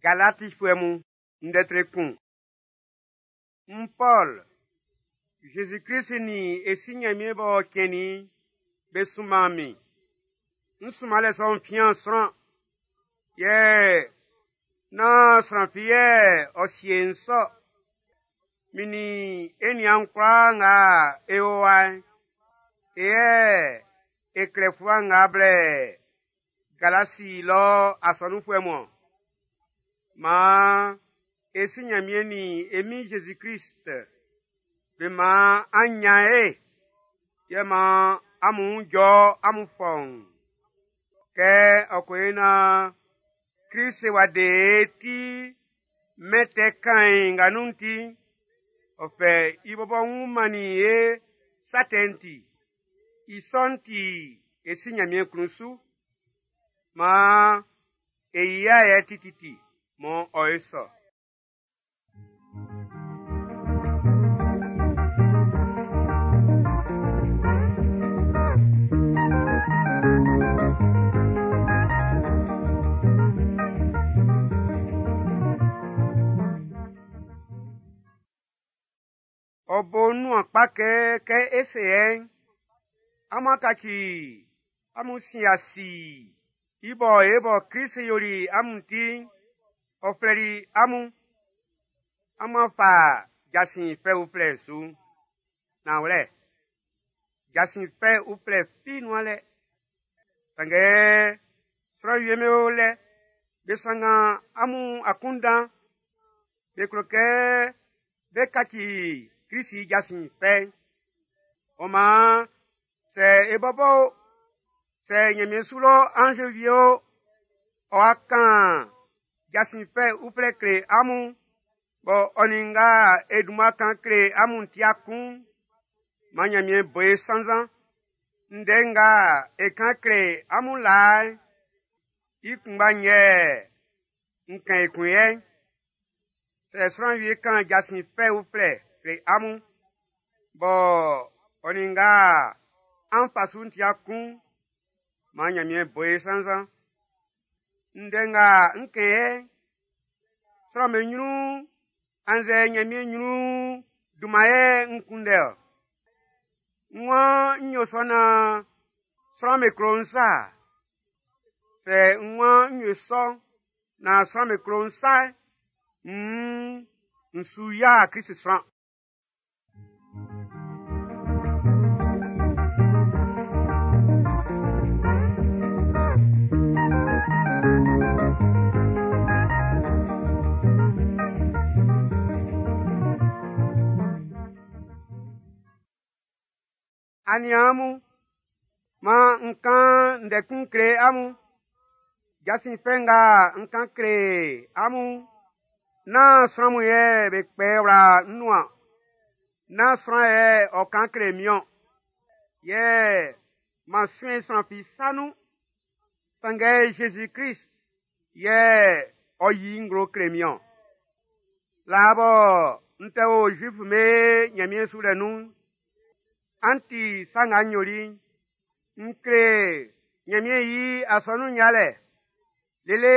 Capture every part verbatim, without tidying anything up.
Galatifuɛ mun, ndɛ tre kun. N Pɔl, Jésus-Krist nin e Si Nyanmiɛn b'ɔ cɛnnin be sunman min. N sunmanlɛ sɔ'n fian sran, yɛ nán sran fi yɛ ɔ sie n sɔ. Min nin e niaan kwlaa nga e o wa'n, e yɛ e klɛ fluwa nga blɛ Galasi lɔ asɔnunfuɛ mun. Maan e Si Nyanmiɛn nin e Min Jésus-Krist be maan an nyan e, yɛ maan amun jɔ amun fɔun. Kɛ ɔ ko yo naan Krist wa de e ti mɛn tɛ kain nga nun'n ti, ɔ fɛ i bɔbɔ wun mannin e sa tɛ'n ti. I sɔ'n ti e Si Nyanmiɛn klun su. Maan e yia yɛ tititi mɔ ɔ e sɔ. Ɔ bo nuan kpa kɛ kɛ e se yɛ'n, amun kaci amun sin asi i bɔ e bɔ Krist yoli amun ti'n, ɔ flɛli amun. Amun fa jasin fɛ uflɛ su. Nanwlɛ, jasin fɛ uflɛ fi nuan lɛ. Sanngɛ sran wie'm be o lɛ, be sanngan amun akunndan, be klo kɛ be kaci Krist i jasin fɛ'n. Ɔ maan, sɛ e bɔbɔ o, sɛ Nyanmiɛn su lɔ anze wie o, ɔ'a kan jasin fɛ uflɛ kle amun, bɔ ɔ nin nga e dunman kan kle amun tia kun, man Nyanmiɛn bo e sannzan. Ndɛ nga e kan kle amun laa'n, i kunngba yɛ n kan ekun yɛ. Sɛ sran wie kan jasin fɛ uflɛ kle amun, bɔ ɔ nin nga an fa su'n tia kun, man Nyanmiɛn bo e sannzan. Ndɛ nga n kɛn yɛ, sran'm be nyrun annzɛ Nyanmiɛn nyrun dunman yɛ n kunndɛ-ɔ. N waan n yo sɔ naan sran'm be klo n sa. Sɛ n waan n yo sɔ naan sran'm be klo n sa'n, nn n su ya Krist sran. Aniaan mun, maan n kan ndɛ kun kle amun. Jasin fɛ nga n kan kle amun, nán sran mun yɛ be kpɛ wla n nuan. Nán sran yɛ ɔ kan kle min-ɔn. Yɛ man suen sran fi sa nun. Sanngɛ Jésus-Krist yɛ ɔ yi nglo kle min-ɔn. Laa bɔ n tɛ o Zuif'm be Nyanmiɛn sulɛ nun'n, an ti sa nga n yoli'n, n kle Nyanmiɛn i asɔnun yalɛ, lele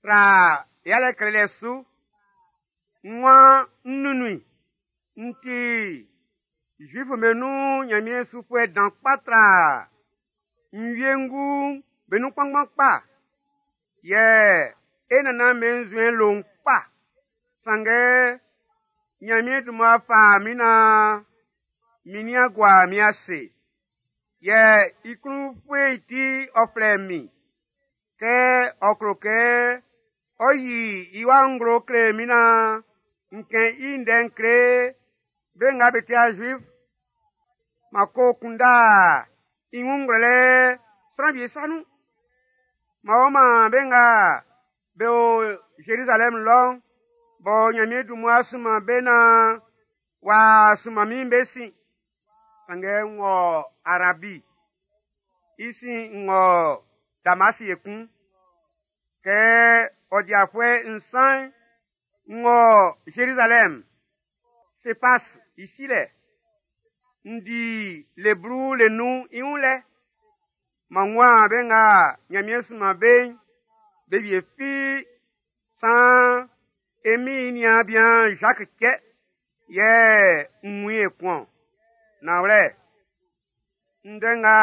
tra yalɛ klelɛ su. N waan n nunnun i. N ti Zuif'm be nun Nyanmiɛn sufuɛ dan kpa tra n wiengu be nun kpanngban kpa. Yɛ e nannan be nzuɛn lon kpa. Sanngɛ Nyanmiɛn dunman fa min naan min nian gua min ase. Yɛ i klun fue'n ti ɔ flɛ min. Kɛ ɔ klo kɛ ɔ yi i wa nglo kle min naan n kɛn i ndɛ'n kle be nga be tia Zuif. Ma ko kunda i wun ngwlɛlɛ sran wie sa nun. Ma o ma be nga be o Jérusalem lɔ'n, bɔ Nyanmiɛn dun mmua sunman be naan w'a sunman min be sin. Sanngɛ n wɔ Arabi, i sin n wɔ Damasi ekun. Kɛ ɔ di afuɛ nsan, n wɔ Jérusalem, Sefas i silɛ. N di le blu le nnun i wun lɛ. Man nguan be nga Nyanmiɛn sunman be'n, be wie fi Saan e min niaan bian Jacques cɛ yɛ n wun i ekun-ɔn. Nanwlɛ, ndɛ nga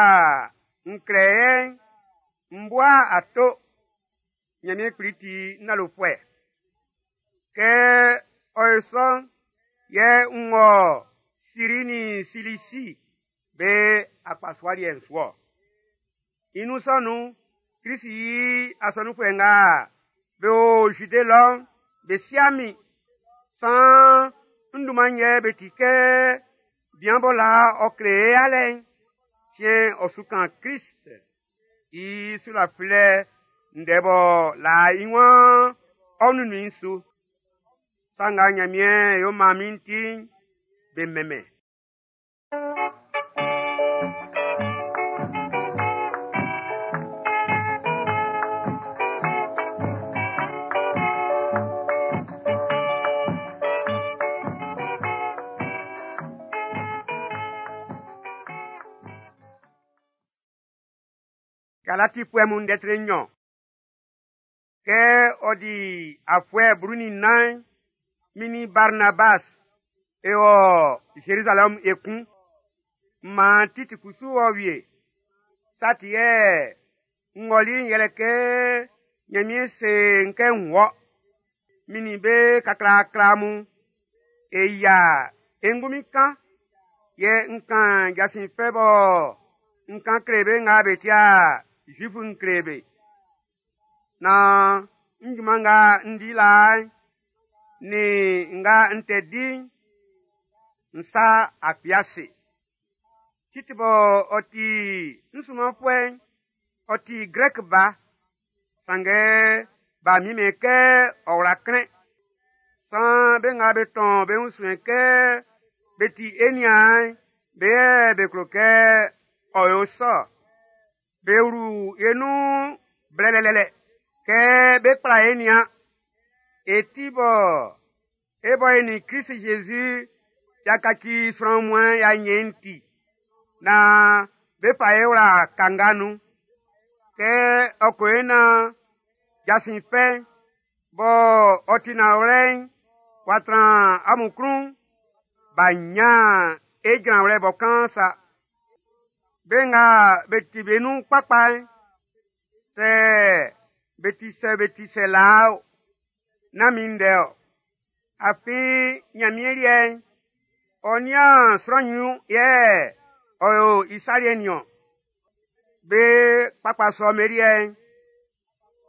n klɛ yɛ'n, n bua ato. Ɲanmiɛn Kpli ti n lalofuɛ. Kɛ ɔ yo sɔ'n, yɛ n wɔ Siri nin Silisi be akpasua liɛ'n su-ɔ. I nun sɔ nun'n, Klisi i asɔnunfuɛ nga be o Zide lɔ'n, be sia min. Saan n dunman'n yɛ be ti kɛ bian bɔ laa ɔ kle e yalɛ'n, siɛn'n ɔ su kan Klist i sulafilɛ ndɛ bɔ laa i waan ɔ nunnun i'n su. Sa nga Ɲanmiɛn yo man min'n ti'n, be mɛnmɛn. Galatifuɛ mun ndɛ tre nnyɔn. Kɛ ɔ di afuɛ blu nin nnan'n, min nin Barnabas e wɔ Zerizalɛm ekun. Maan Titi kusu wɔ wie. Sa ti yɛ n ɔli'n yɛlɛ kɛ Ɲanmiɛn se n kɛ n wɔ. Min nin be kaklaakla mun e yia e ngunmin kan, yɛ n kan jasin fɛ bɔ n kan kle be nga be tia Zuifu n kle be. Naan n junman nga n di laa'n, nin nga n tɛ di'n, n sa akpi ase. Titi bɔ ɔ ti n sunmanfuɛ'n, ɔ ti Grɛk ba, sanngɛ b'a miɛnmɛn kɛ ɔ wla klɛn. Saan be nga be tɔn be wun suɛn kɛ be ti e niaan'n, be yɛ be klo kɛ ɔ yo sɔ. Be wlu e nun blɛlɛlɛ kɛ be kpla e nian. E ti bɔ e bɔ e nin Klisi Zezi y'a kaci sran wunmuan'n y'a ɲɛn ti, naan be fa e wla kanga nun. Kɛ ɔ ko e naan jasin fɛ'n bɔ ɔ ti nanwlɛ'n w'a tran amun klun, b'a ɲan e jranwlɛ bɔ kaan sa. Be nga be ti be nun kpakpa'n, sɛ be ti sɛ be ti sɛ laa o, nán min ndɛ-ɔ. Afin Ɲanmiɛn liɛ'n, ɔ nian sran ɲrun yɛ ɔ yo i sa liɛ'n niɔn. Be kpakpa sɔ'm be liɛ'n,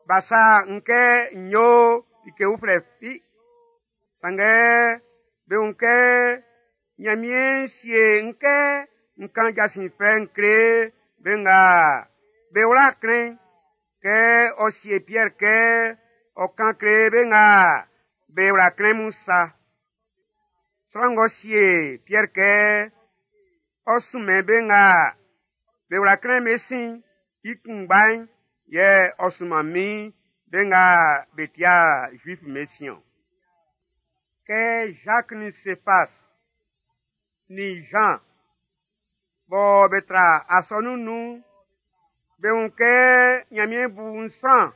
b'a sa n kɛ n yo like uflɛ fi. Sanngɛ be wun kɛ Ɲanmiɛn sie n kɛ n kan jasin fɛ'n kle be nga be wla klɛn kɛ ɔ sie Piɛr kɛ ɔ kan kle be nga be wla klɛn mun sa. Sran ng'ɔ sie Piɛr kɛ ɔ sunmɛn be nga be wla klɛn be sin i kunngba'n yɛ ɔ sunman min be nga be tia Zuif be sin-ɔn. Kɛ Jacques nin Céphas nin Jean bɔ be tra asɔnun'n nun'n, be wun kɛ Ɲanmiɛn bu n sran,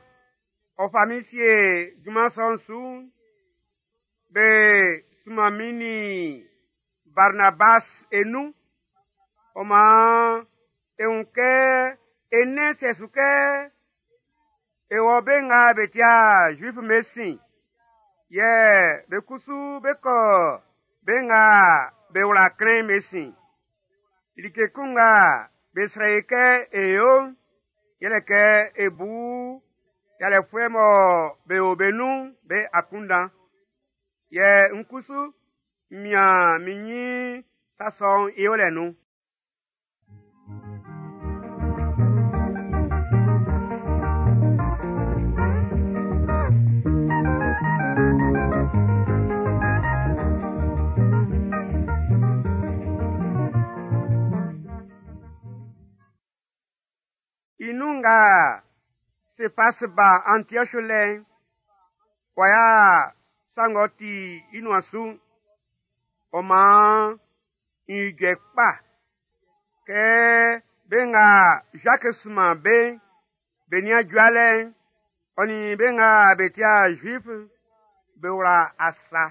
ɔ fa min sie junman sɔ'n su'n, be sunman min nin Barnabas e nun. Ɔ maan e wun kɛ e nɛn sɛ su kɛ e wɔ be nga be tia Zuif'm be sin, yɛ be kusu be kɔ be nga be wla klɛn'n be sin. Like kun nga be srɛ i kɛ e yo'n, yɛlɛ kɛ e bu yalɛfuɛ mɔ be o be nun'n be akunndan. Yɛ n kusu n mian min ɲin sa sɔ'n i yolɛ nun. I nun nga Sefas ba Antioche lɛ'n, w'a sa ng'ɔ ti i nuan su'n, ɔ maan n ijɔ kpa kɛ be nga Jacques sunman be'n, be nian jualɛ'n, Ɔ nin be nga be ti'a Zuif be wla asa.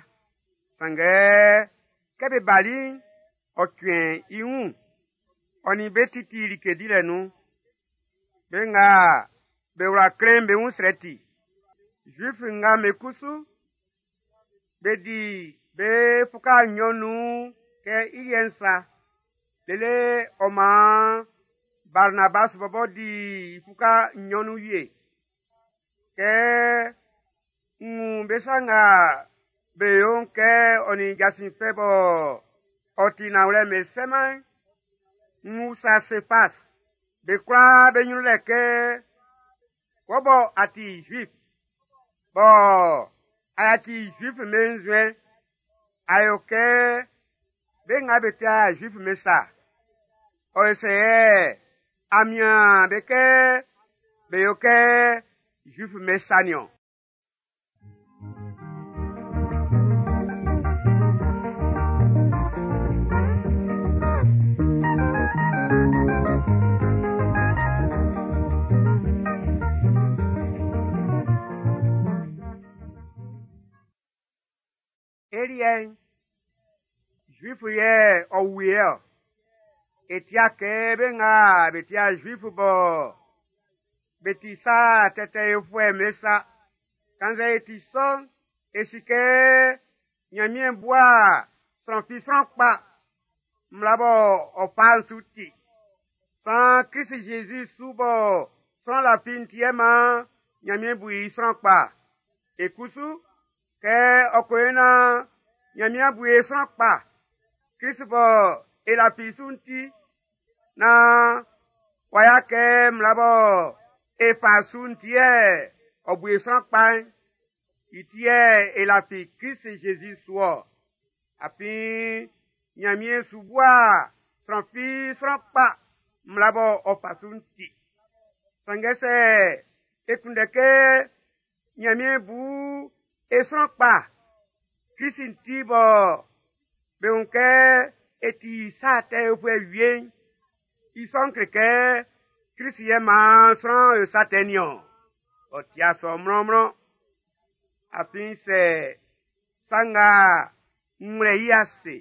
Sanngɛ kɛ be bali'n, ɔ cuɛn i wun. Ɔ nin be titi like dilɛ nun. Be nga be wla klɛn'n be wun srɛ ti. Zuif nga be kusu, be di be fuka nnyɔn nun kɛ i liɛ'n sa. Lele ɔ maan Barnabas bɔbɔ di i fuka nnyɔn nun wie. Kɛ n wun be sa nga be yo'n kɛ ɔ nin jasin fɛ bɔ ɔ ti nanwlɛ'n be sɛman'n, n usa Sefas be kwlaa be nyrun lɛ kɛ, wɔ bɔ a ti Zuif, bɔ a yaci Zuif'm be nzuɛn, a yo kɛ be nga be ti'a Zuif'm be sa. Ɔ yo sɛ yɛ a mian be kɛ be yo kɛ Zuif'm be sa nin-ɔn? E liɛ'n, Zuif yɛ ɔ wie-ɔ. E tia kɛ be nga be tia Zuif bɔ be ti sa tɛtɛ yofuɛ'm be sa. Kannzɛ e ti sɔ'n, e si kɛ Nyanmiɛn bua sran fi sran kpa, mmla bɔ ɔ fa'n su ti. San Krist Jésus su bɔ sran lafi'n ti yɛ man Nyanmiɛn bu i sran kpa. E kusu, kɛ ɔ ko yo nan Nyanmiɛn bu e sran kpa, Krist bɔ e lafi su'n ti, nan w'a ya kɛ mmla bɔ e fa su'n ti yɛ ɔ bu e sran kpa'n, i ti yɛ e lafi Krist Jésus su-ɔ. Afin Nyanmiɛn su bua sran fi sran kpa mmla bɔ ɔ fa su'n ti. Sanngɛ sɛ e kunndɛ kɛ Nyanmiɛn bu e sran kpa, Krist ti bɔ be wun kɛ e ti sa tɛ yofuɛ wie'n, i sɔ'n kle kɛ Krist yɛ maan sran yo sa tɛ nin-ɔn. Ɔ ti'a sɔ mlɔnmlɔn. Afin sɛ sa nga n wlɛ i ase,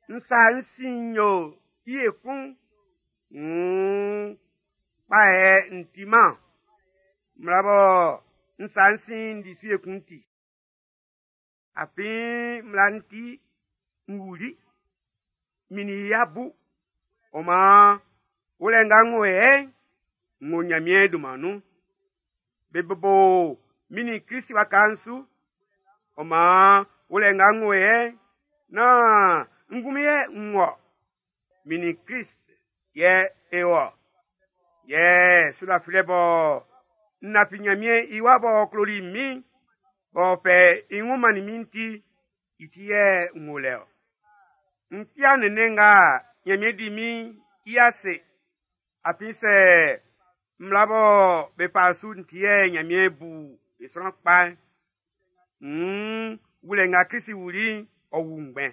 n sa n sin yo i ekun, wuun kpa yɛ n ti-man. Mmla bɔ n sa n sin di su ekun ti. Afin mmla'n ti n wuli, min i ya bu. Ɔ maan, wulɛ nga n wo yɛ'n, n wo Nyanmiɛn dunman nun. Be bobo min nin Krist waka'n su. Ɔ maan, wulɛ nga n wo yɛ'n, nán n ngunmin yɛ n wɔ. Min nin Krist yɛ e wɔ. Yɛ sulafilɛ bɔ n lafi Nyanmiɛn i wa b'ɔ kloli min, b'ɔ fɛ i wun mannin min ti, i ti yɛ n wo lɛ-ɔ. N fia nɛnnɛn nga Nyanmiɛn di min i ase. Afin sɛ mmla bɔ be fa su'n ti yɛ Nyanmiɛn bu e sran kpa'n, wuun wulɛ nga Krist wuli'n, ɔ wu ngbɛn.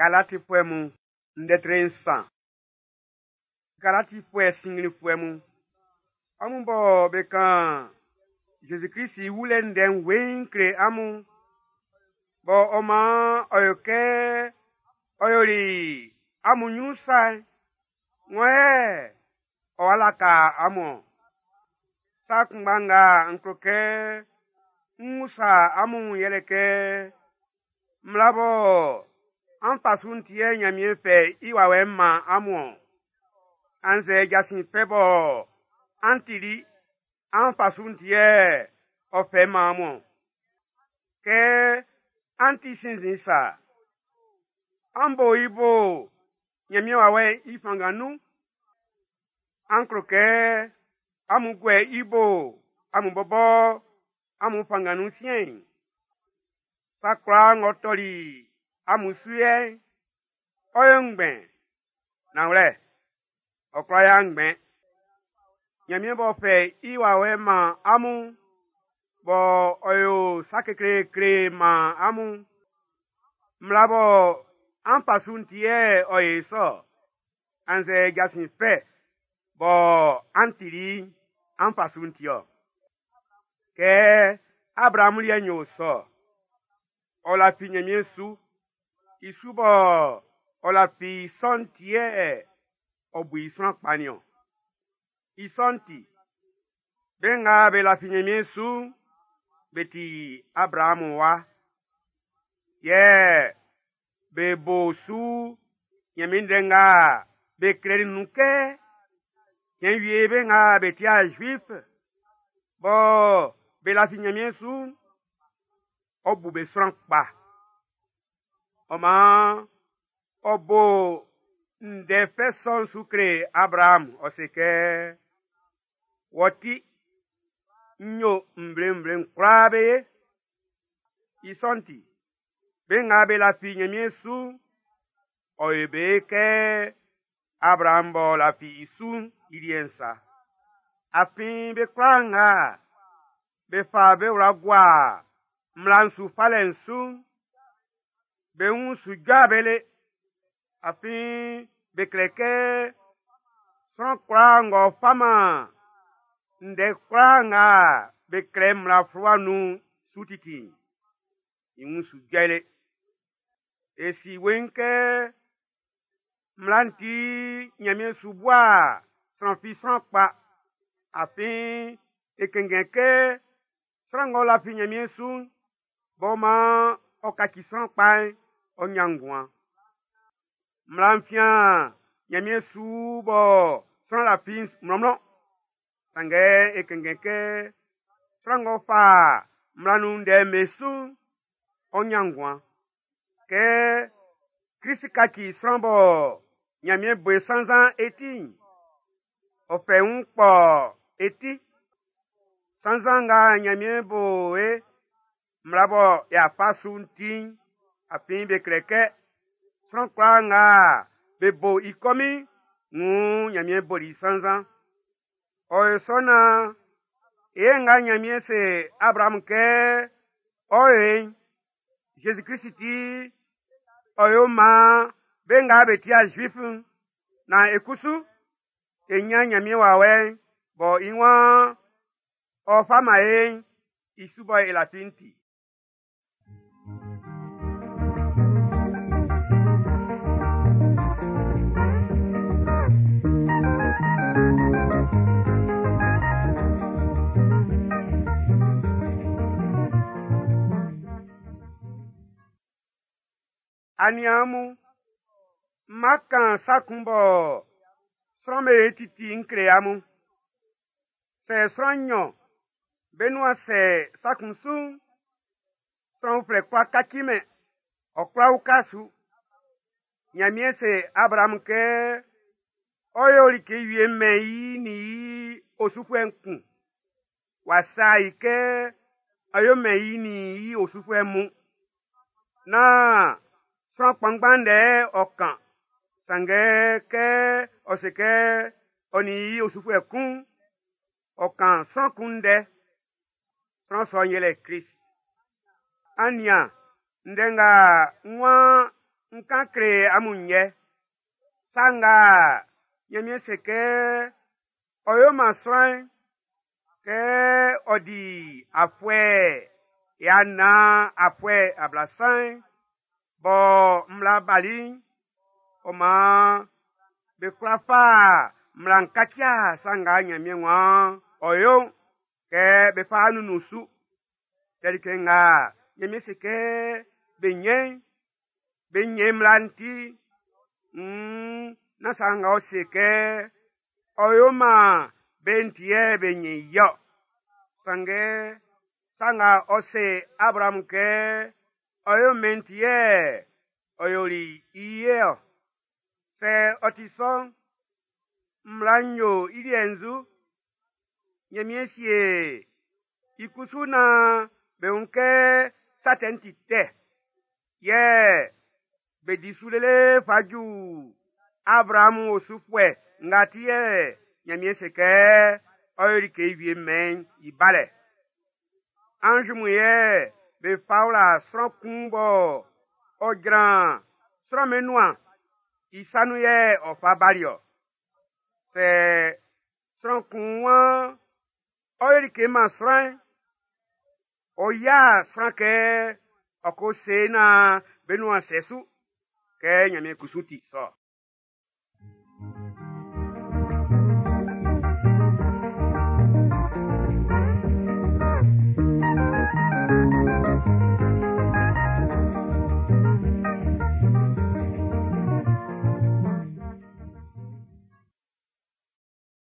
Galatifuɛ mun, ndɛ tre nsan. Galatifuɛ sinnglinfuɛ mun, amun bɔ be kan Jésus-Christ i wulɛ ndɛ'n weiin kle amun, bɔ ɔ maan ɔ yo kɛ ɔ yoli amun nyrun sa'n, ŋɔ yɛ ɔ wa laka amun-ɔn. Sa kunngba nga n klo kɛ n usa amun yɛlɛ kɛ, mmla bɔ an fa su'n ti yɛ Nyanmiɛn fɛ i wawɛ'n man amun-ɔn. Annzɛ jasin fɛ bɔ an tili an fa su'n ti yɛ ɔ fɛ man amun-ɔn. Kɛ an ti sinnzin sa, an bo i bo Nyanmiɛn wawɛ'n i fanngan nun. An klo kɛ amun guɛ i bo amun bɔbɔ amun fanngan nun siɛn'n. Sa kwlaa ng'ɔ tɔli amun su yɛ'n, ɔ yo ngbɛn. Nanwlɛ, Ɔ kwla ya ngbɛn. Ɲanmiɛn b'ɔ fɛ i wawɛ man amun, bɔ ɔ yo sa kekleekle man amun. Mmla bɔ an fa su'n ti yɛ ɔ yo sɔ, annzɛ jasin fɛ bɔ an tili'n an fa su'n ti ɔ. Kɛ Abraamu liɛ'n yo sɔ, ɔ lafi Ɲanmiɛn su. I su bɔ ɔ lafi sɔ'n ti yɛ ɔ bu i sran kpa nin-ɔn. I sɔ'n ti, be nga be lafi Ɲanmiɛn su'n, be ti Abraamu wa. Yɛ be bo su Ɲanmiɛn ndɛ nga be klɛli nun kɛ, cɛn wie be nga be ti'a Zuif, bɔ be lafi Ɲanmiɛn su'n, ɔ bu be sran kpa. Ɔ maan ɔ bo ndɛ fɛ sɔ'n su kle Abraamu, ɔ se kɛ, wɔ ti, n yo nvle-nvle'n kwlaa be ye. I sɔ'n ti, be nga be lafi Ɲanmiɛn su'n, ɔ yo be kɛ Abraamu b'ɔ lafi i su'n i liɛ'n sa. Afin be kwlaa nga be fa be wla gua mmla'n su falɛ'n su'n, be wun su jɔa be le. Afin be kle kɛ sran kwlaa ng'ɔ faman ndɛ kwlaa nga be klɛ mmla fluwa nun'n su titi'n, i wun su jɔ i le. E si weiin kɛ mmla'n ti Ɲanmiɛn su bua sran fi sran kpa. Afin e kɛnngɛn kɛ sran ng'ɔ lafi Ɲanmiɛn su'n, b'ɔ maan ɔ kaci sran kpa'n, ɔ ɲan nguan. Mmla'n fian Ɲanmiɛn su bɔ sran lafi mlɔnmlɔn. Sanngɛ e kɛnngɛn kɛ sran ng'ɔ fa mmla nun ndɛ'n be su'n, ɔ ɲan nguan. Kɛ Krist kaci sran bɔ Ɲanmiɛn bo i sannzan e ti'n, ɔ fɛ i wun kpɔ e ti. Sannzan nga Ɲanmiɛn bo e mmla bɔ y'a fa su'n ti'n, afin be klɛ kɛ sran kwlaa nga be bo i kɔmin'n, wuun Ɲanmiɛn boli i sannzan. Ɔ yo sɔ naan e nga Ɲanmiɛn se Abraamu kɛ ɔ yo e'n, Zezi Klist ti ɔ yo maan be nga be ti'a Zuif'n, naan e kusu e ɲan Ɲanmiɛn wawɛ'n bɔ i waan ɔ fa man e'n, i su bɔ e lafi'n ti. Aniaan mun, ma kan sa kun bɔ sran'm be titi n kle amun. Sɛ sran nnyɔn be nuan sɛ sa kun su'n, sran uflɛ kwla kacimɛn, ɔ kwla uka su. Ɲanmiɛn se Abraamu kɛ ɔ yo like wie mɛn i nin i osufuɛ'n kun. W'a sa i kɛ ɔ yo mɛn i nin i osufuɛ mun. Naan sran kpanngban ndɛ ɔ kan. Sanngɛ kɛ ɔ se kɛ ɔ nin i osufuɛ kun, ɔ kan sran kun ndɛ. Sran sɔ'n yɛlɛ Krist. An nian ndɛ nga n waan n kan kle amun yɛ. Sa nga Ɲanmiɛn se kɛ ɔ yo man sran'n, kɛ ɔ di afuɛ ya nnan afuɛ ablasan'n, bɔ mmla bali'n, ɔ maan be kwla fa mmla'n kacia sa nga Ɲanmiɛn waan ɔ yo'n kɛ be fa nunnun su. Kɛ like nga Ɲanmiɛn se kɛ be ɲɛn'n, be ɲɛn mmla'n ti, nn nán sa nga ɔ se kɛ ɔ yo man be'n ti yɛ be ɲɛn i ɔ. Sanngɛ sa nga ɔ se Abraamu kɛ ɔ yo mɛn'n ti yɛ ɔ yoli i ye ɔ. Sɛ ɔ ti sɔ'n, mmla'n yo i liɛ'n nzu. Ɲanmiɛn sie i kusu naan be wun kɛ sa tɛ'n ti tɛ. Yɛ be di su lele fa ju Abraamu osufuɛ nga ti yɛ Ɲanmiɛn se kɛ ɔ yo like wie mɛn i balɛ. Anzi mun yɛ be fa wla sran kun bɔ ɔ jran sran'm be nuan i sa nun yɛ ɔ fa bali ɔ. Sɛ sran kun waan ɔ yo like man sran'n, ɔ yia sran kɛ ɔ ko se naan be nuan sɛ su kɛ Ɲanmiɛn kusu ti sɔ.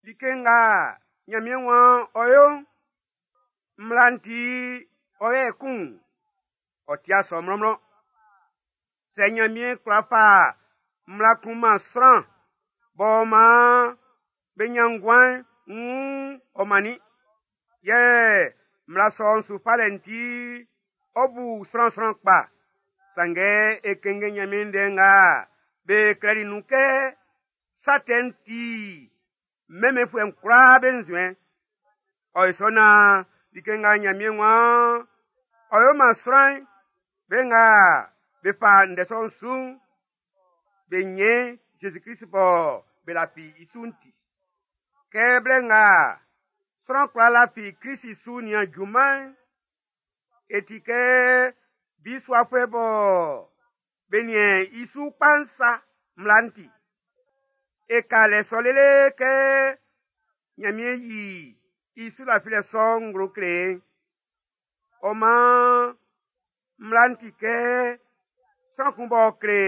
Like nga Ɲanmiɛn waan ɔ yo'n, mmla'n ti ɔ yɛ kun, ɔ ti sɔ mlɔnmlɔn. Sɛ Ɲanmiɛn kwla fa mmla kun man sran b'ɔ maan be ɲan nguan'n, wuun ɔ mannin. Yɛ mmla sɔ'n su falɛ'n ti ɔ bu sran sran kpa. Sanngɛ e kɛnngɛn Ɲanmiɛn ndɛ nga be klɛli nun kɛ sa tɛ'n ti mɛnmɛnfuɛ'n kwlaa be nzuɛn. Ɔ yo sɔ naan like nga Ɲanmiɛn waan ɔ yo man sran'n, be nga be fa ndɛ sɔ'n su'n, be ɲɛn Zezi Klist bɔ be lafi i su'n ti. Kɛ blɛ nga sran kwlaa lafi Klist su nian junman'n, e ti kɛ bisuafuɛ bɔ be niɛn i su kpa'n sa mmla'n ti. E ka lɛ sɔ lele kɛ Ɲanmiɛn yi i su lafilɛ sɔ'n nglo kle e. Ɔ maan mmla'n ti kɛ sran kun b'ɔ kle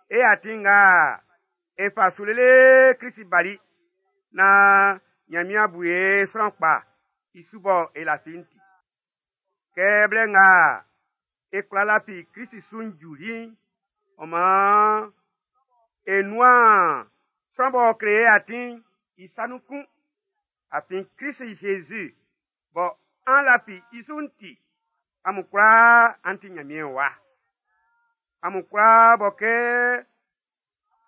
e atin nga e fa su lele Klist bali naan Ɲanmiɛn bu e sran kpa i su bɔ e lafi'n ti. Kɛ blɛ nga e kwla lafi Klist su'n juli'n, ɔ maan e nuan sran b'ɔ kle e atin'n i sa nun kun. Afin Klist Zezi bɔ an lafi i su'n ti, amun kwlaa an ti Ɲanmiɛn wa. Amun kwlaa bɔ kɛ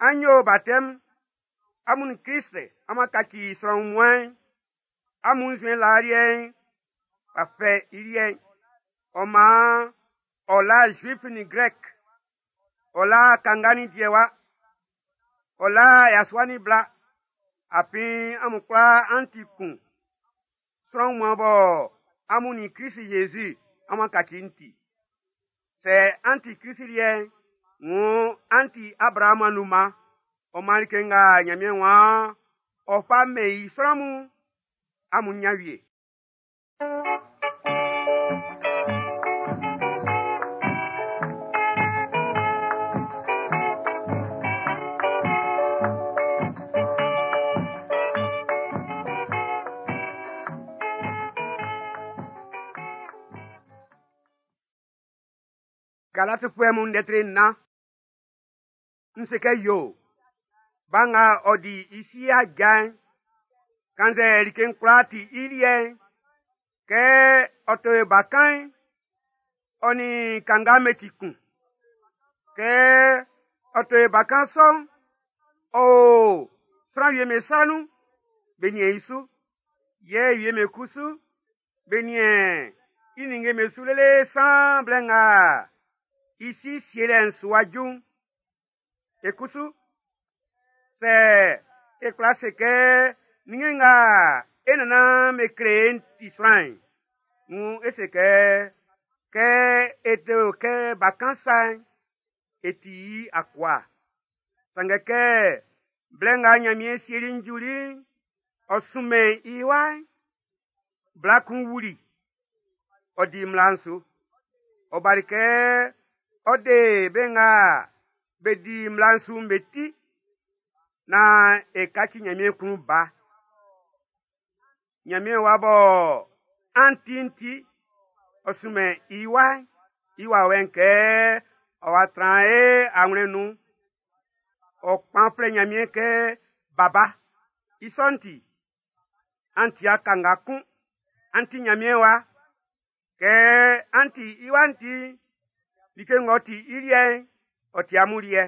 an yo batɛm, amun nin Klist amun kaci sran wunmuan'n, amun nzuɛn laa liɛ'n w'a fɛ i liɛ'n. Ɔ maan ɔ la Zuif nin Grɛk, ɔ la kanga nin diɛwa, ɔ la yasua nin bla, afin amun kwlaa an ti kun. Sran wunmuan bɔ amun nin Klist Zezi amun kaci'n ti. Sɛ an ti Klist liɛ'n, wuun an ti Abraamu anunman. Ɔ maan like nga Ɲanmiɛn waan ɔ fa mɛn i sran mun'n, amun ɲan wie. Galatifuɛ mun lɛtri nnan. N se kɛ yo, ba nga ɔ di i si aja'n, kannzɛ like'n kwlaa ti i liɛ'n, kɛ ɔ to e bakan'n, ɔ nin kanga be ti kun. Kɛ ɔ to e bakan sɔ'n, ɔ o sran wie'm be sa nun, be niɛn i su. Yɛ wie'm be kusu, be niɛn i ninnge'm be su lele san blɛ nga i si sielɛ'n su wa ju'n. E kusu, sɛ e kwla se kɛ ninnge nga e nannan be kle e'n ti sran'n, wuun e se kɛ kɛ e te o kɛ bakan sa'n, e ti i akua. Sanngɛ kɛ blɛ nga Ɲanmiɛn sieli'n juli'n, ɔ sunmɛn i wa'n, bla kun wuli, ɔ di mmla'n su. Ɔ bali kɛ ɔ de be nga be di mmla'n su'n be ti, naan e kaci Ɲanmiɛn klun ba. Ɲanmiɛn wa bɔ an ti'n ti, ɔ sunmɛn i wa'n, i wawɛ'n kɛ ɔ wa tran e awlɛn'n nun. Ɔ kpan flɛ Ɲanmiɛn kɛ Baba. I sɔ'n ti, an ti kanga kun, an ti Ɲanmiɛn wa. Kɛ an ti i wa'n ti, like ng'ɔ ti i liɛ'n, ɔ ti amun liɛ.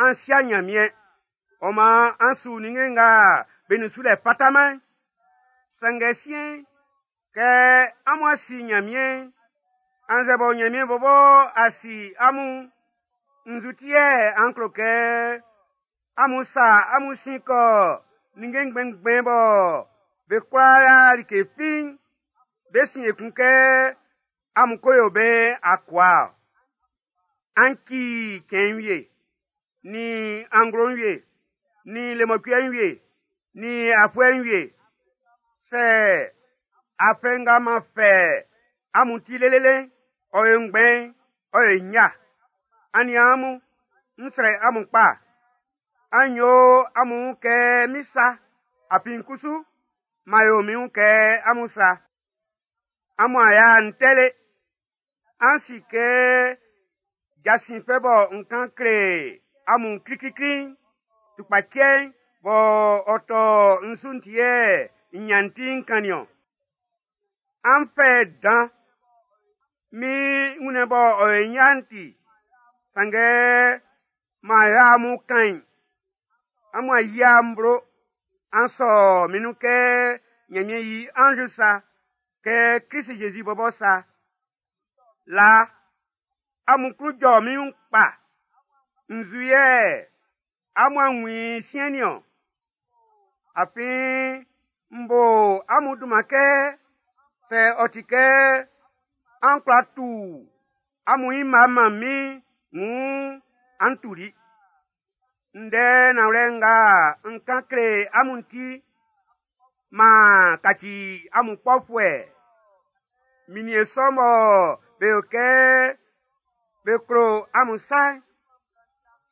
an sia Nyanmiɛn, ɔ man an su ninnge nga be nun sulɛ fataman'n. Sanngɛ siɛn'n, kɛ amun a si Nyanmiɛn'n, annzɛ bɔ Nyanmiɛn bɔbɔ a si amun'n, nzu ti yɛ an klo kɛ amun sa amun sin kɔ ninnge ngbɛnngbɛn bɔ be kwla like fi'n, be sin ekun kɛ amun ko yo be akua-ɔ. An ci cɛn'n wie, nin anglo'n wie, nin lemɔcuɛ'n wie, nin afuɛ'n wie. Sɛ afɛ nga m'an fɛ amun ti lelele'n, ɔ yo ngbɛn, ɔ yo nnya. Aniaan mun, n srɛ amun kpa. An yo amun wun kɛ min sa, afin kusu, m'an yo min wun kɛ amun sa. Amun a ya'n tɛle. An si kɛ jasin fɛ bɔ n kan kle amun kliklikli'n, tukpacɛ'n bɔ ɔ tɔ n su'n ti yɛ n nyan ti n kannin ɔn. An fɛ dan min wunnɛn bɔ ɔ yo nya'n ti, sanngɛ m'an yo amun kain. Amun a yia n blo, an sɔ min nun kɛ Nyanmiɛn yi anz sa, kɛ Krist Jésus bɔbɔ sa. Laa, amun klun jɔ min wun kpa. Nzu yɛ amun a wun i siɛn nin-ɔn? Afin n bo amun dunman kɛ sɛ ɔ ti kɛ an kwla tu amun i mma man min wun an tuli. Ndɛ nanwlɛ nga n kan kle amun ti, m'an kaci amun kpɔfuɛ. Minniɛn sɔ mɔ be yo kɛ be klo amun sa'n,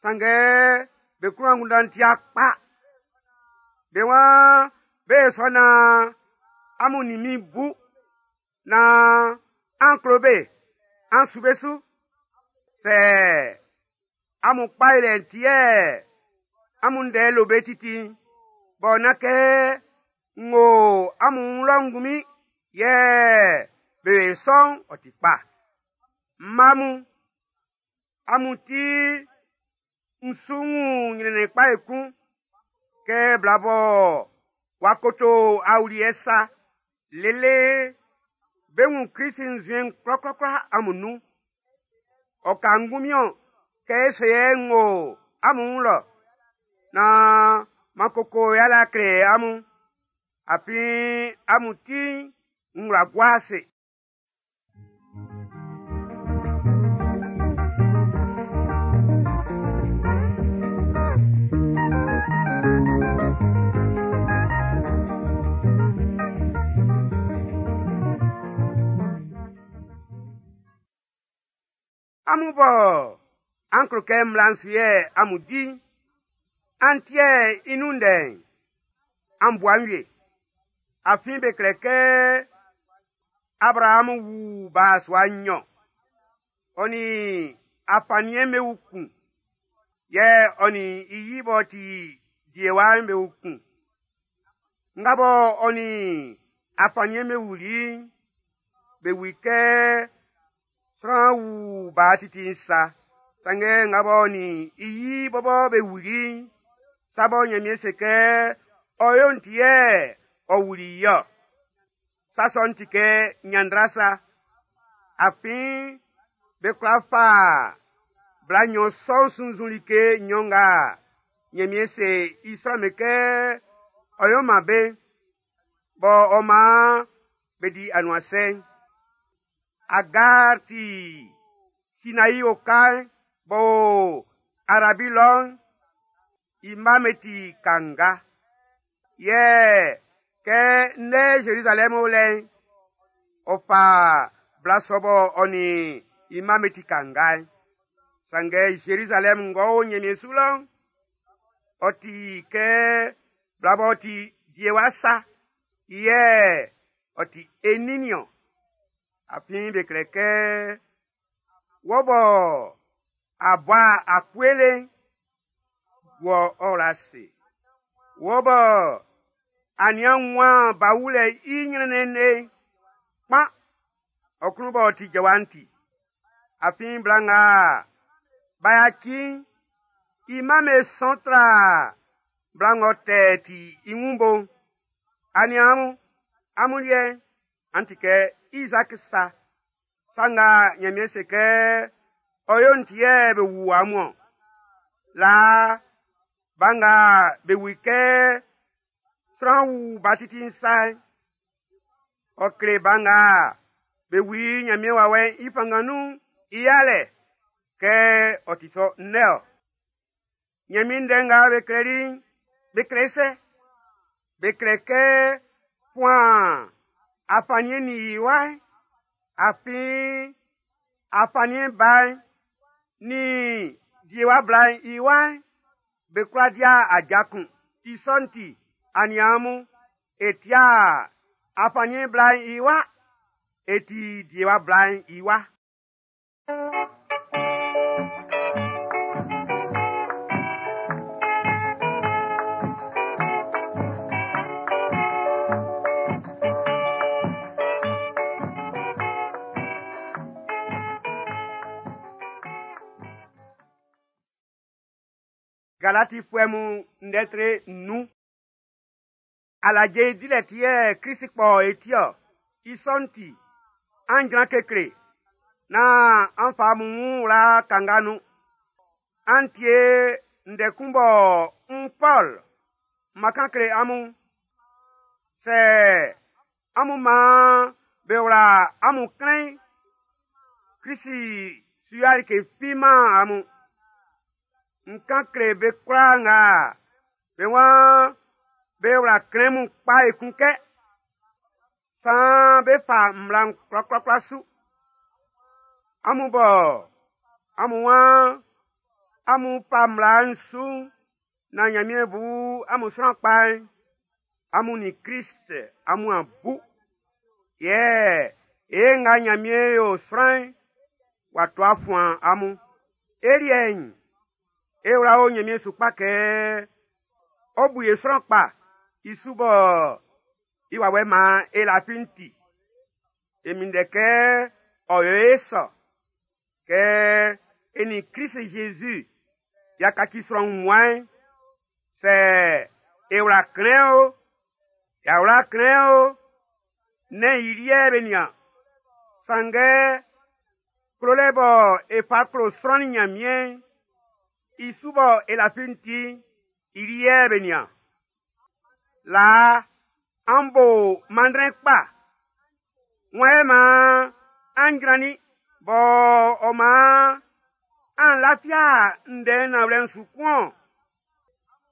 sanngɛ be klun angunndan'n ti kpa. Be waan be sɔ naan amun nin min bu, naan an klo be, an su be su. Sɛ amun kpa yolɛ'n ti yɛ amun ndɛ lo be titi'n, bɔ nán kɛ n wo amun wun lɔ ngunmin yɛ be sɔ'n ɔ ti kpa. Mma mun, amun ti n su wun nyrɛnnɛn kpa ekun kɛ bla bɔ w'a koto awuliɛ sa lele be wun Krist nzuɛn'n kwlakwlakwla amun nun. Ɔ ka ngunmin-ɔn kɛ e se yɛ n wo amun wun lɔ, naan m'an koko yalɛ kle amun, afin amun ti'n n wla gua ase. Amun bɔ an klo kɛ mmla'n su yɛ amun di, an tie i nun ndɛ'n, an bua'n wie. Afin be klɛ kɛ Abrahamu wu ba sua nnyɔn, ɔ nin afanniɛn'n be wu kun, yɛ ɔ nin i yi b'ɔ ti diewa'n be wu kun. Nga bɔ ɔ nin afanniɛn'n be wuli'n, be wu i kɛ sran wu ba titi'n sa. Sanngɛ nga b'ɔ nin i yi bɔbɔ be wuli'n, sa bɔ Nyanmiɛn se kɛ ɔ yo'n ti yɛ ɔ wuli i-ɔ. Sa sɔ'n ti kɛ nyanndra sa. Afin be kwla fa bla nnyɔn sɔ'n sunnzun like nnyɔn nga Nyanmiɛn se i sran'm be kɛ ɔ yo man be, bɔ ɔ man be di anuansɛ'n. Agar ti Sinaï oka'n b'ɔ o Arabi lɔ'n, i mma'm be ti kanga. Yɛ kɛ ndɛ Zerizalɛm o lɛ'n, ɔ fa bla sɔ bɔ ɔ nin i mma'm be ti kanga'n. Sanngɛ Zerizalɛm ng'ɔ o Nyanmiɛn su lɔ'n, ɔ ti kɛ bla b'ɔ ti diewa sa, yɛ ɔ ti e nin nin-ɔn. Afin be klɛ kɛ wɔ bɔ a bɔ a kuele'n, wɔ ɔ la se. Wɔ bɔ a nian wan ba wulɛ i nyrɛnnɛn le'n, kpan, ɔ klun b'ɔ ti jɔwa'n ti. Afin bla nga b'a yaci'n, I mma'm be sɔn tra bla ng'ɔ tɛ ti i wun bo'n. Aniaan mun, amun liɛ'n, an ti kɛ Izaaki sa. Sa nga Ɲanmiɛn se kɛ ɔ yo'n ti yɛ be wu amun ɔn. Laa, ba nga be wu i kɛ sran wu ba titi'n sa'n, ɔ kle ba nga be wu i Ɲanmiɛn wawɛ'n i fanngan nun'n i yalɛ kɛ ɔ ti sɔ ndɛ ɔ. Ɲanmiɛn ndɛ nga be klɛli'n, be kle sɛ? Be kle kɛ fuan afanniɛn nin i wa'n, afin afanniɛn ba'n nin diewa bla'n i wa'n, be kwla dia aja kun. I sɔ'n ti, aniaan mun, e tia afanniɛn bla'n i wa, e ti diewa bla'n i wa. Galatifuɛ mun ndɛ tre nnun. Alaje dilɛ ti yɛ Krist kpɔ e ti-ɔ. I sɔ'n ti, an jran kekle, nán an fa amun wun wla kanga nun. An tie ndɛ kun bɔ n Pɔl n ma kan kle amun. Sɛ amun maan be wla amun klɛn'n, Krist su yo like fi man amun. N kan kle be kwlaa nga be waan be wla klɛn mun kpa ekun kɛ, saan be fa mmla'n kwlakwlakwla su. Amun bɔ amun waan amun fa mmla'n su'n, nan Nyanmiɛn bu amun sran kpa'n, amun nin Krist amun a bu. Yɛ ye nga Nyanmiɛn yo sran'n, w'a to a fuan amun. E liɛ'n, e wla o Nyanmiɛn su kpa kɛ ɔ bu ye sran kpa i su bɔ i wawɛ maan e lafi'n ti. E minndɛ kɛ ɔ yo e sɔ, kɛ e nin Krist Jésus y'a kaci sran wunmuan'n, sɛ e wla klɛn o, y'a wla klɛn o, nɛ́n i liɛ be nian. Sanngɛ klolɛ bɔ e fa klo sran nin Nyanmiɛn'n, i su bɔ e lafi'n ti, i liɛ be nian. Laa, an bo manndrɛn kpa. Wan yɛ maan an jrannin bɔ ɔ maan an lafia ndɛ nanwlɛ'n su kun-ɔn?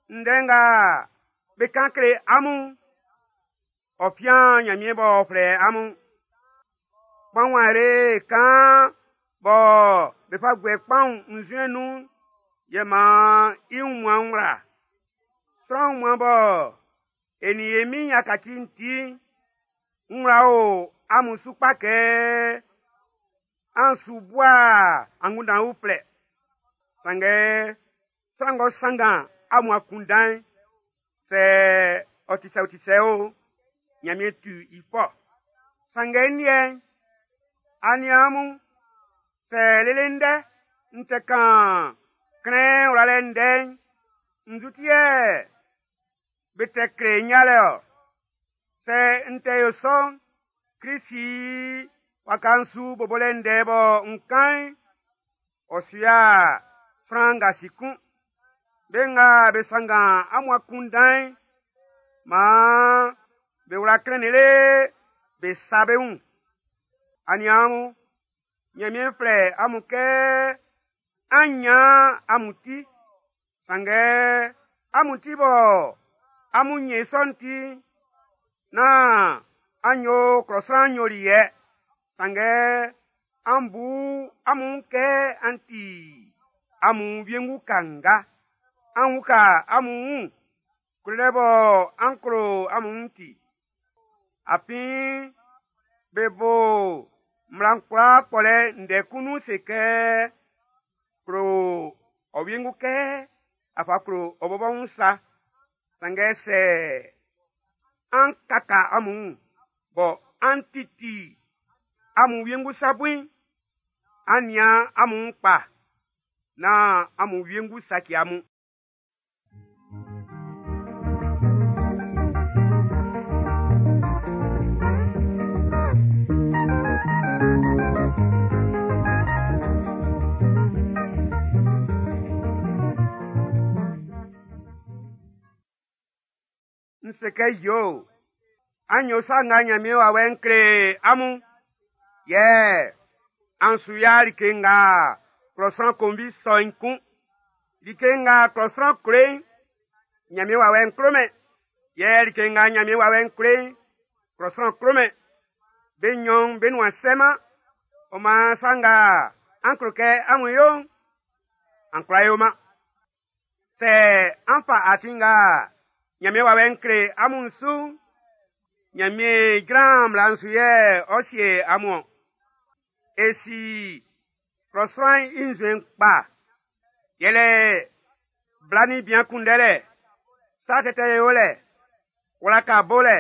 Ndɛ nga be kan kle amun'n, ɔ fian Nyanmiɛn b'ɔ flɛ amun. Kpaun are kaan bɔ be fa guɛ kpaun nzuɛn nun'n, yɛ maan i wunmuan'n wla. Sran wunmuan bɔ e nin e Min'n y'a kaci'n ti'n, n wla o amun su kpa kɛ an su bua angunndan uflɛ. Sanngɛ sran ng'ɔ sanngan amun akunndan'n, sɛ ɔ ti sɛ o ti sɛ o, Nyanmiɛn tu i fɔ. Sanngɛ n liɛ'n, aniaan mun, sɛ lele ndɛ n tɛ kan klɛn wlalɛ ndɛ'n, nzu ti yɛ be tɛ kle n yalɛ ɔ? Sɛ n tɛ yo sɔ'n, Krist i waka'n su bobolɛ ndɛ bɔ n kan'n, ɔ su ya sran ngasi kun. Be nga be sanngan amun akunndan'n, maan be wla klɛn lele be sa be wun. Aniaan mun, Nyanmiɛn flɛ amun kɛ an nyan amun ti. Sanngɛ amun ti bɔ amun nyɛn i sɔ'n ti'n, nán an yo klɔ sran nyoliɛ. Sanngɛ an bu amun wun kɛ an ti amun wiengu kanga. An uka amun wun, klolɛ bɔ an klo amun wun'n ti. Afin be bo mmla'n kwlaa kpɔlɛ ndɛ kun nun se kɛ, klo ɔ wiengu kɛ a fa klo ɔ bɔbɔ wun sa. Sanngɛ sɛ an kaka amun wun bɔ an titi amun wiengu sa bui'n, an nian amun wun kpa, nán amun wiengu saci amun. N se kɛ yo, an yo sa nga Ɲanmiɛn wawɛ'n kle amun. Yɛ an su ya like nga klɔ sran konvi sɔ'n kun. Like nga klɔ sran kle'n, Ɲanmiɛn wawɛ'n klomɛn. Yɛ like nga Ɲanmiɛn wawɛ'n kle'n, klɔ sran klomɛn. Be nɲɔn'n be nuan sɛman. Ɔ maan sa nga an klo kɛ amun yo'n, an kwla yoman. Sɛ an fa atin nga Ɲanmiɛn wawɛ'n kle amun su'n, Ɲanmiɛn jran mmla'n su yɛ ɔ sie amun. E si klɔ sran'n i nzuɛn kpa. Yɛlɛ bla nin bian kunndɛlɛ, sa tɛtɛ yolɛ, wlaka bolɛ,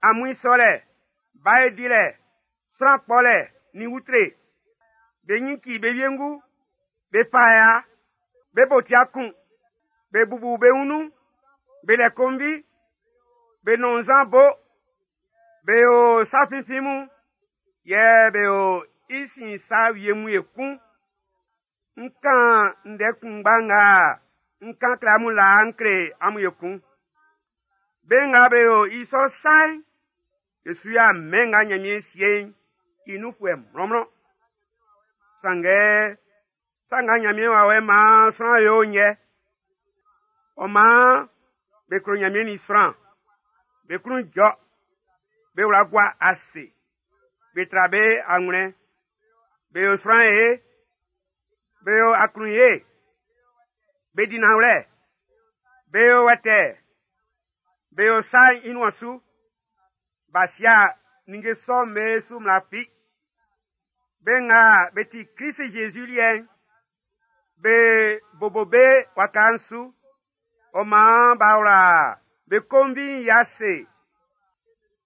amuin sɔlɛ, bae dilɛ, sran kpɔlɛ nin utre. Be ɲin ci be wiengu, be fa ya, be bo tia kun, be bubu be wun nun, be lɛ konvi, be nɔn nzan bo, be yo sa finfin mun, yɛ be yo i sin sa wie mun ekun. N kan ndɛ kunngba nga n kan kle amun laa n kle amun ekun. Be nga be yo i sɔ sa'n, be su ya mɛn nga Ɲanmiɛn sie'n i nunfuɛ mlɔnmlɔn. Sanngɛ, sa nga Ɲanmiɛn wawɛ'n maan sran yo'n yɛ. Ɔ maan be klo Ɲanmiɛn nin sran, be klun jɔ, be wla gua ase, be tra be anwlɛn, be yo sran ye, be yo aklunye, be di nanwlɛ, be yo wɛtɛɛ, be yo sa'n i nuan su. B'a sia ninnge sɔ'm be su mmla fi. Be nga be ti Klisi Zezi liɛ'n, be bobo be waka'n su. Ɔ maan b'a wla be konvi'n i ase.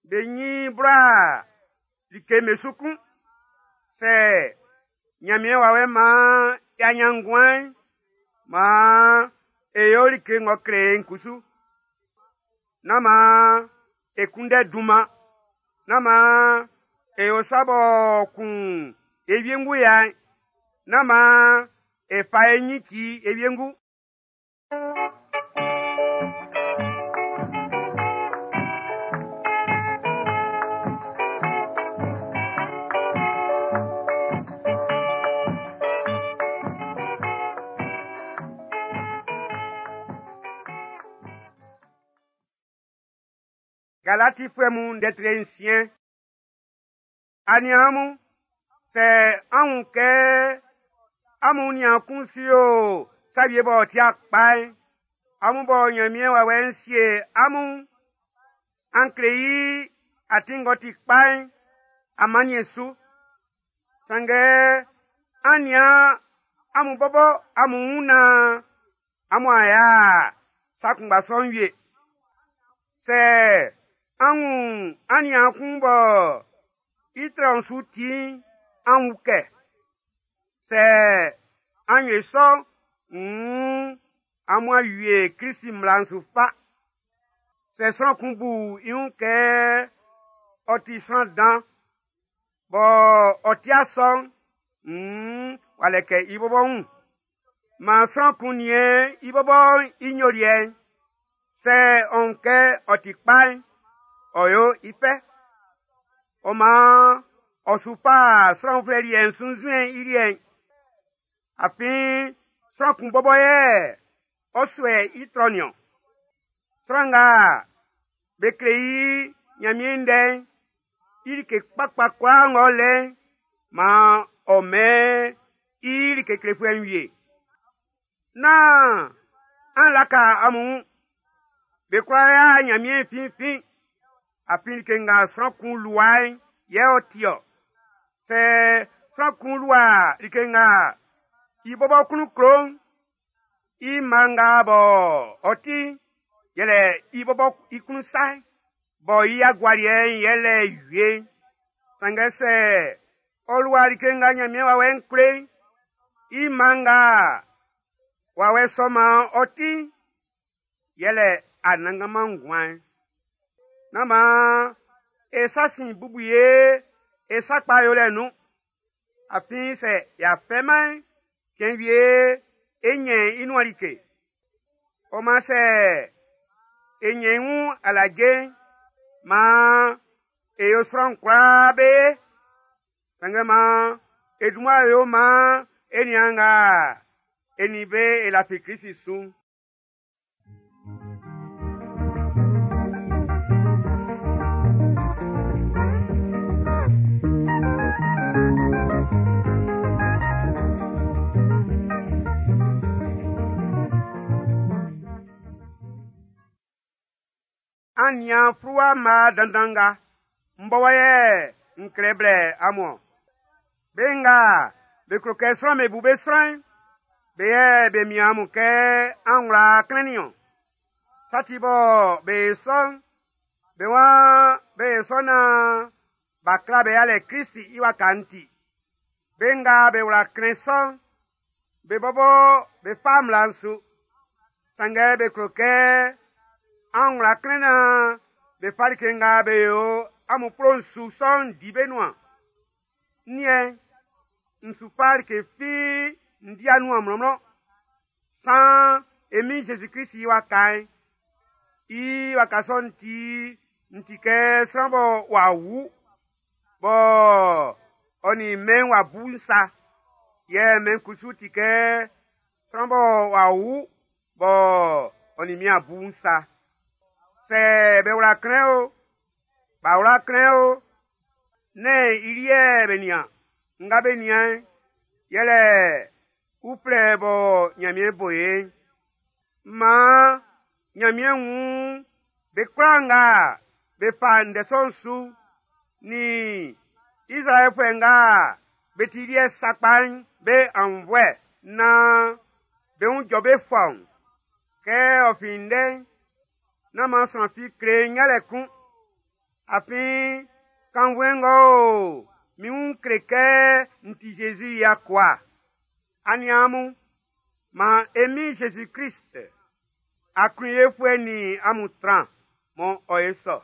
Be ɲin bla like me su kun. Sɛ Ɲanmiɛn wawɛ'n maan y'a ɲan nguan'n, maan e yo like ng'ɔ kle e'n kusu. Nán maan e kunndɛ dunman. Nán maan e yo sa b'ɔ kun e wiengu ya'n. Nán maan e fa e ɲin ci e wiengu. Galatifuɛ mun ndɛ tre nsiɛn. Aniaan mun, sɛ an wun kɛ amun niaan kun su yo sa wie b'ɔ ti kpa'n, amun bɔ Ɲanmiɛn wawɛ'n sie amun, an kle i atin ng'ɔ ti kpa'n, amanniɛn su. Sanngɛ an nian amun bɔbɔ amun wun naan amun a ya sa kunngba sɔ'n wie. Sɛ an wun aniaan kun bɔ i trɔ'n su ti'n, an wun kɛ. Sɛ an yo sɔ'n, nn amun a wie Klisi mmla'n su fa. Sɛ sran kun bu i wun kɛ ɔ ti sran dan, bɔ ɔ ti sɔ'n, nn w'a lɛkɛ i bɔbɔ wun. Maan sran kun niɛn i bɔbɔ i nyoliɛ'n. Sɛ ɔ wun kɛ ɔ ti kpa'n, ɔ yo i fɛ. Ɔ maan ɔ su fa sran uflɛ liɛ'n sunnzun i liɛ'n. Afin sran kun bɔbɔ yɛ ɔ suɛ i trɔ niɔn. Sran nga be kle i Ɲanmiɛn ndɛ'n, i like kpakpa kwlaa ng'ɔ lɛ'n, maan ɔ mɛn i like klefuɛ'n wie. Nán an laka amun wun. Be kwla ya Ɲanmiɛn finfin. Afin like nga sran kun lua'n yɛ ɔ ti-ɔ. Sɛ sran kun lua like nga i bɔbɔ klun klo'n, i mma nga bɔ ɔ ti'n, yɛlɛ i bɔbɔ i klun sa'n, bɔ i agualiɛ'n yɛlɛ wie'n. Sanngɛ sɛ ɔ lua like nga Ɲanmiɛn wawɛ'n kle'n, i mma nga wawɛ sɔ'n maan ɔ ti'n, yɛlɛ anannganman nguan'n. Nán maan e sa sin bubu ye e sa kpa yolɛ nun. Afin sɛ y'a fɛman'n, cɛn wie e ɲɛn i nuan like. Ɔ maan sɛ e ɲɛn i wun alaje'n, maan e yo sran kwlaa be ye. Sanngɛ maan e dun mmua yo maan e niaan nga e nin be e lafi Klisi su'n. An nian fluwa mma dandan nga, m bɔbɔ yɛ n klɛ blɛ amun-ɔn. Be nga be klo kɛ sran'm be bu be sran'n, be yɛ be mian amun kɛ an wla klɛn nin-ɔn. Sa ti bɔ be yo sɔ'n, be waan be yo sɔ naan b'a kla be yalɛ Krist i waka'n ti. Be nga be wla klɛn sɔ'n, be bɔbɔ be fa mmla'n su. Sanngɛ be klo kɛ an wla klɛn naan be fa like nga be yo amun kplo'n su sɔ'n di be nuan. N liɛ'n, n su fa like fi n di nuan mlɔnmlɔn. Saan e Min Zezi Klist i waka'n. I waka sɔ'n ti, n ti kɛ sran bɔ w'a wu, bɔ ɔ nin mɛn'n w'a bu'n sa. Yɛ mɛn'n kusu ti kɛ sran bɔ w'a wu, bɔ ɔ nin min a bu'n sa. Sɛ be wla klɛn o, b'a wla klɛn o, nɛ́n i liɛ be nian. Nga be nian'n, yɛlɛ uflɛ bɔ Nyanmiɛn bo e'n. Maan Nyanmiɛn wun be kwlaa nga be fa ndɛ sɔ'n su, nin Izraɛlfuɛ nga be ti i liɛ sakpa'n be aunnvuɛ naan be wun jɔ be fɔuun. Kɛ ɔ fin ndɛ'n, nán maan sran fi kle n yalɛ kun. Afin kannvuɛn ng'ɔ o min wun kle kɛ n ti Zezi i akua. Aniaan mun, maan e Min Zezi Klist aklunyefuɛ nin amun tran, mɔ ɔ ye sɔ.